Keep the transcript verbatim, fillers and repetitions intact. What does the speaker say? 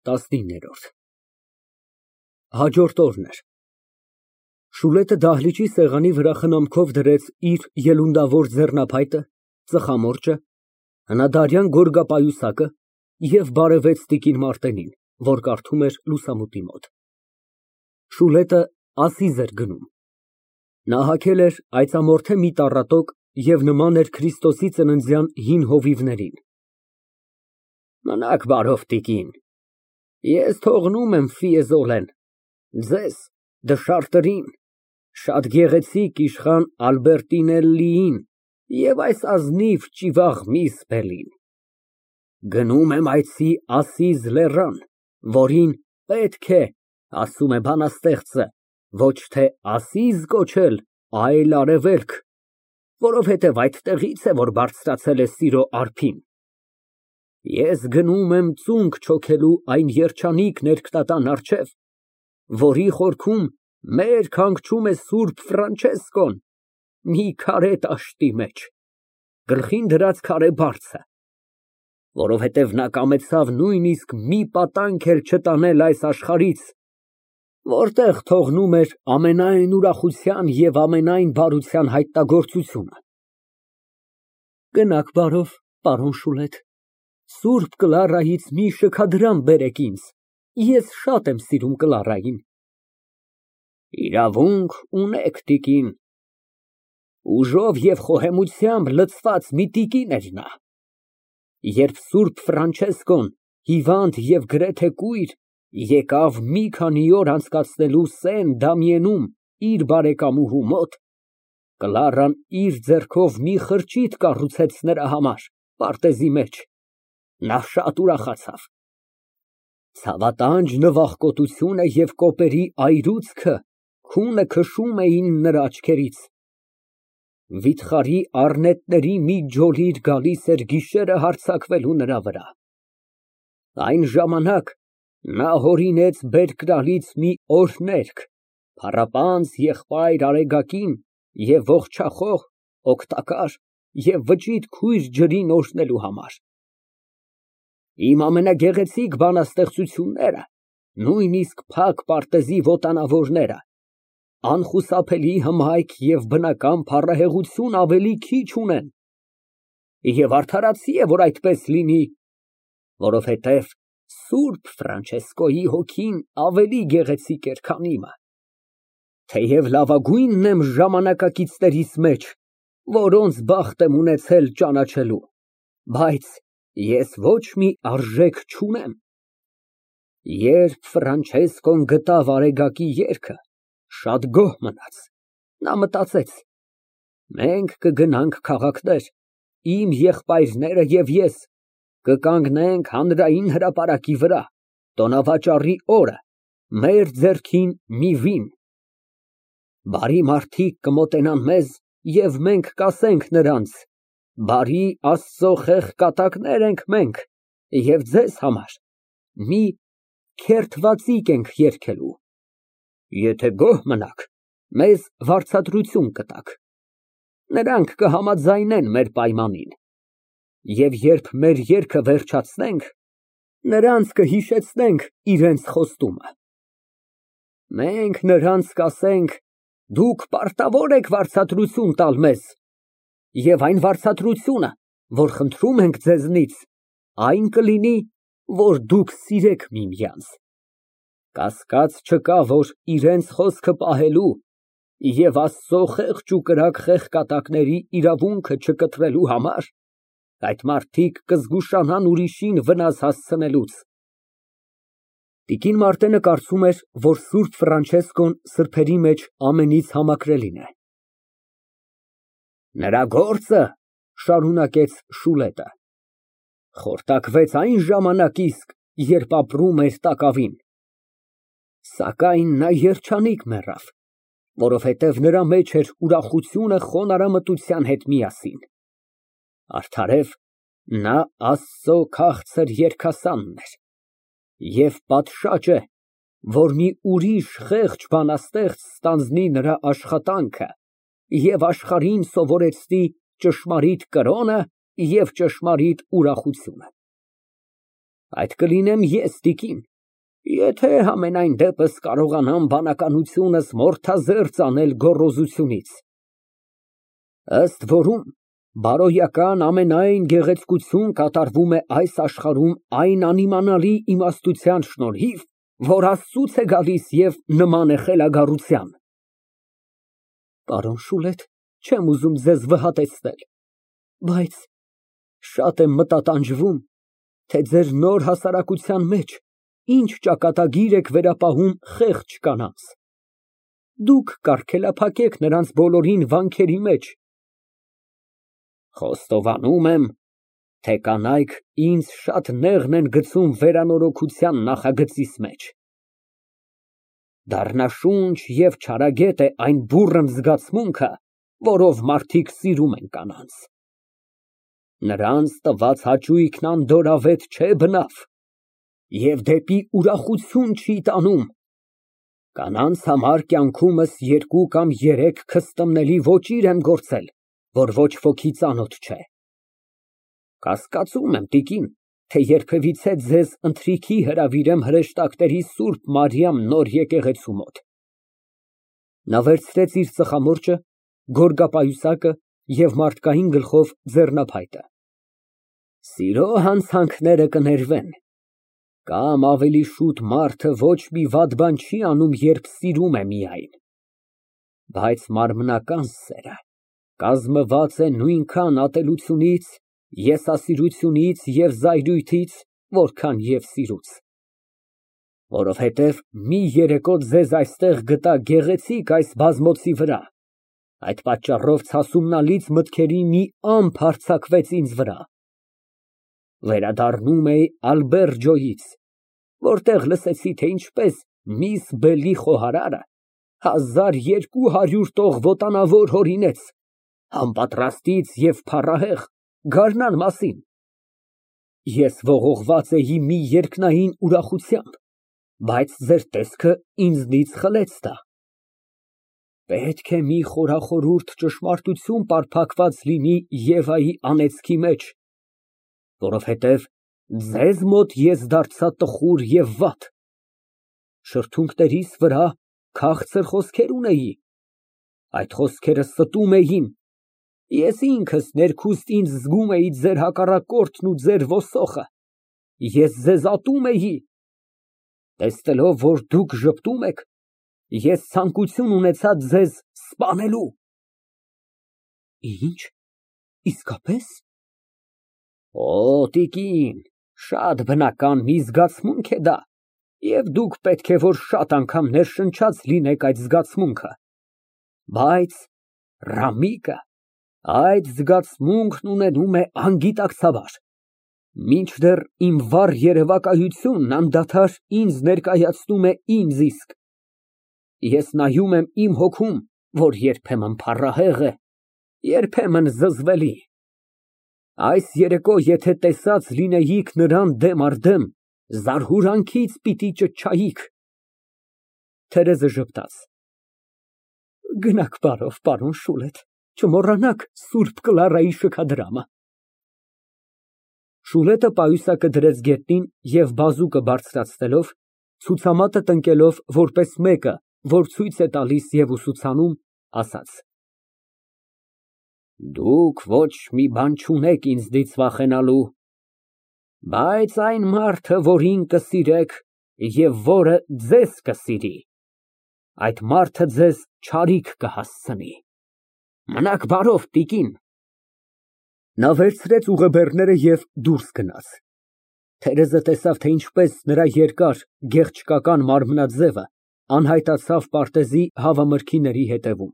ՏԱՍՆԻՆՆԵՐՈՐԴ Հաջորդ օրն էր։ Շուլետը դահլիճի սեղանի վրա խնամքով դրեց իր ելունդավոր ձեռնափայտը, ծխամորճը, հնադարյան գորգապայուսակը և բարևեց տիկին Մարտենին, որ կարդում էր լուսամուտի մոտ։ Շուլետը ասիզ էր գնում։ Նա հագել էր այծամորթե մի տառատոկ և նման էր Քրիստոսի ծննդյան հին հովիվներին։ Մնաք բարով, տիկին, ես թողնում եմ ֆիեզոլեն, ձեզ, դշարտերին, շատ գեղեցիկ իշխան Ալբերտինելլիին և այս ազնիվ ճիվաղ միս Բելին։ Գնում եմ այցի Ասիզ լեռան, որին պետք է, ասում է բանաստեղծը, ոչ թե Ասիզ կոչել, այլ արևելք, որովհետև այդտեղից է, որ բարձրացել է սիրո արփին։ Ես գնում եմ ծունկ չոքելու այն երջանիկ ներքնատան առջև, որի խորքում մերկ հանգչում է Սուրբ Ֆրանչեսկոն մի քարե տաշտի մեջ, գլխին դրած քարե բարձը, որովհետև նա կամեցավ նույնիսկ մի պատանք էլ չտանել այս աշխարհից, որտեղ թողնում էր ամենայն ուրախության և ամենայն բարության հայտնագործությունը։ Գնաք բարով, պարոն Շուլետ, Սուրբ Կլարայից մի շքադրամ բերեք ինձ, ես շատ եմ սիրում Կլարային։ Իրավունք ունեք, տիկին, ուժով և խոհեմությամբ լցված մի տիկին էր նա։ Երբ Սուրբ Ֆրանչեսկոն, հիվանդ և գրեթե կույր, եկավ մի քանի օր անցկացնելու Սեն Դամիենում իր բարեկամուհու մոտ, Կլարան իր ձեռքով մի խրճիթ կառուցեց նրա համար պարտեզի մեջ, նա շատ ուրախացավ։ Ցավատանջ նվախկոտությունը և կոպերի այրուձքը քունը քշում էին նրա աչքերից։ Վիթխարի առնետների մի ջոլիր գալիս էր գիշերը հարձակվելու նրա վրա։ Այն ժամանակ նա հորինեց բերկրալից մի օրհներգ փառապանծ եղբայր Արեգակին և ողջախոհ, օգտակար և վճիտ քույր ջրին օրհնելու համար։ Իմ ամենագեղեցիկ բանաստեղծությունները, նույնիսկ փակ պարտեզի վոտանավորները, անխուսափելի հմայք և բնական փառահեղություն ավելի քիչ ունեն, և արդարացի է, որ այդպես լինի, որովհետև Սուրբ Ֆրանչեսկոյի հոգին ավելի գեղեցիկ էր, քան իմը, թեև լավագույնն եմ ժամանակակիցներիս մեջ, որոնց բախտ եմ ունեցել ճանաչելու, բայց ես ոչ մի արժեք չունեմ։ Երբ Ֆրանչեսկոն գտավ Արեգակի երգը, շատ գոհ մնաց, նա մտածեց. մենք կգնանք քաղաքներ, իմ եղբայրները և ես, կկանգնենք հանրային հրապարակի վրա, տոնավաճառի օրը, մեր ձեռքին մի վին, բարի մարդիկ կմոտենան մեզ և մենք կասենք նրանց. բարի Աստծո խեղճ կատակներ ենք մենք և ձեզ համար մի քերթվածիկ ենք երգելու, եթե գոհ մնաք, մեզ վարձատրություն կտաք, նրանք կհամաձայնեն մեր պայմանին, և երբ մեր երգը վերջացնենք, նրանց կհիշեցնենք իրենց խոստումը։ Մենք նրանց կասենք. դուք պարտավոր եք վարձատրություն տալ մեզ, և այն վարձատրությունը, որ խնդրում ենք ձեզնից, այն կլինի, որ դուք սիրեք միմյանց։ Կասկած չկա, որ իրենց խոսքը պահելու և Աստծո խեղճ ու կրակ խեղկատակների իրավունքը չկտրելու համար այդ մարդիկ կզգուշանան ուրիշին վնաս հասցնելուց։ Տիկին Մարտենը կարծում էր, որ Սուրբ Ֆրանչեսկոն սրբերի մեջ ամենից համակրելին է։ Նրա գործը, շարունակեց Շուլետը, խորտակվեց այն ժամանակ իսկ, երբ ապրում էր տակավին, սակայն նա երջանիկ մեռավ, որովհետև նրա մեջ էր ուրախությունը խոնարհամտության հետ միասին, արդարև նա Աստծո քաղցր երգասանն էր, և պատշաճ է, որ մի ուրիշ խեղճ բանաստեղծ ստանձնի նրա աշխատանքը և աշխարհին սովորեցնի ճշմարիտ կրոնը և ճշմարիտ ուրախությունը։ Այդ կլինեմ ես, տիկին, Եթե համենայն դեպս կարողանամ բանականությունս մոռթազերծ անել գոռոզությունից։ Ըստ որում, բարոյական ամենայն գեղեցկություն կատարվում է այս աշխարհում այն անիմանալի իմաստության շնորհիվ, որ Աստծուց է գալիս և նման է խելագարության։ Պարոն Շուլետ, չեմ ուզում ձեզ վհատեցնել, բայց շատ եմ մտատանջվում, թե ձեր նոր հասարակության մեջ ինչ ճակատագիր եք վերապահում խեղճ կանանց։ Դուք կարգելափակեք նրանց բոլորին վանքերի մեջ։ Խոստովանում եմ, թե կանայք ինձ շատ նեղն են գցում վերանորոգության նախագծիս մեջ։ Դառնաշունչ և չարագետ է այն բուռն զգացմունքը, որով մարդիկ սիրում են կանանց։ Նրանց տված հաճույքն անդորրավետ չէ բնավ և դեպի ուրախություն չի տանում։ Կանանց համար կյանքումս երկու կամ երեք քստմնելի ոճիր եմ գործել, որ ոչ ոքի ծանոթ չէ։ Կասկածում եմ, տիկին, թե երբևիցե ձեզ ընթրիքի հրավիրեմ հրեշտակների Սուրբ Մարիամ նոր եկեղեցու մոտ։ Նա վերցրեց իր ծխամորճը, գորգապայուսակը և մարդկային գլխով ձեռնափայտը։ Սիրո հանցանքները կներվեն, կամ ավելի շուտ մարդը ոչ մի վատ բան չի անում, երբ սիրում է միայն, բայց մարմնական սերը կազմված է նույնքան ատելությունից, եսասիրությունից և զայրույթից, որքան և սիրուց։ Որովհետև մի երեկո ձեզ այստեղ գտա գեղեցիկ այս բազմոցի վրա, այդ պատճառով ցասումնալից մտքերի մի ամպ հարձակվեց ինձ վրա։ Վերադառնում էի Ալբերջոյից, որտեղ լսեցի, թե ինչպես միս Բելի խոհարարը հազար երկու հարյուր տող վոտանավոր հորինեց անպատրաստից և փառահեղ գարնան մասին։ Ես ողողված էի մի երկնային ուրախությամբ, բայց ձեր տեսքը ինձնից խլեց դա։ Պետք է մի խորախորուրդ ճշմարտություն պարփակված լինի Եվայի անեծքի մեջ, որովհետև ձեզ մոտ ես դարձա տխուր և վատ։ Շրթունքներիս վրա քաղցր խոսքեր ունեի, այդ խոսքերը ստում էին, ես ինքս ներքուստ ինձ զգում էի ձեր հակառակորդն ու ձեր ոսոխը, ես ձեզ ատում էի։ Տեսնելով, որ դուք ժպտում եք, ես ցանկություն ունեցա ձեզ սպանելու։ Ինչ, իսկապե՞ս։ Օ, տիկին, շատ բնական մի զգացմունք է դա, և դուք պետք է որ շատ անգամ ներշնչած լինեք այդ զգացմունքը, բայց Ռամիկը այդ զգացմունքն ունենում է անգիտակցաբար, մինչդեռ իմ վառ երևակայությունն անդադար ինձ ներկայացնում է ինձ իսկ։ Ես նայում եմ իմ հոգում, որ երբեմն փառահեղ է, երբեմն զզվելի։ Այս երեկո եթե տեսած լինեիք նրան դեմ առ դեմ, զարհուրանքից պիտի ճչայիք։ Թերեզը ժպտաց։ Գնացք բարով, պարոն Շուլետ, չմոռանաք Սուրբ Կլարայի շքադրամը։ Շուլետը պայուսակը դրեց գետնին և բազուկը բարձրացնելով, ցուցամատը տնկելով որպես մեկը, որ ցույց է տալիս և ուսուցանում, ասաց. Դուք ոչ մի բան չունեք ինձնից վախենալու, բայց այն մարդը, որին կսիրեք և որը ձեզ կսիրի, այդ մարդը ձեզ չարիք կհասցնի։ Մնաք բարով, տիկին։ Նա վերցրեց ուղեբեռները և դուրս գնաց։ Թերեզը տեսավ, թե ինչպես նրա երկար, գեղչկական մարմնաձևը անհայտացավ պարտեզի հավամրգիների ետևում։